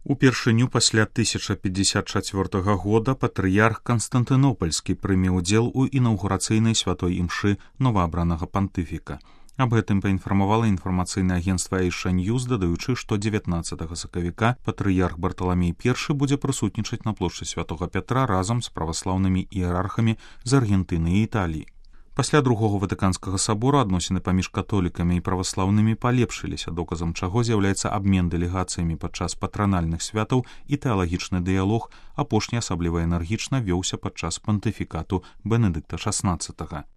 Упершыню пасля 1054 года патрыярх Канстантынопольскі прыме ўдзел у інаўгурацыйнай святой імшы новаабранага пантыфіка. Аб гэтым паінфармавала інфармацыйнае агенцтва Эйша Ньюз, дадаючы, што 19 сакавіка патрыярх Барталамей I будзе прысутнічаць на плошчы святога Пятра разам з праваслаўнымі іерархамі з Аргентыны і Італіі. Пасля другога ватыканскага сабора адносіны паміж католікамі і праваслаўнымі палепшыліся, доказам чаго з'яўляецца абмен дэлегацыямі падчас патранальных святаў і тэалагічны дыялог, апошні асабліва энергічна вёўся падчас пантыфікату Бенедыкта XVI.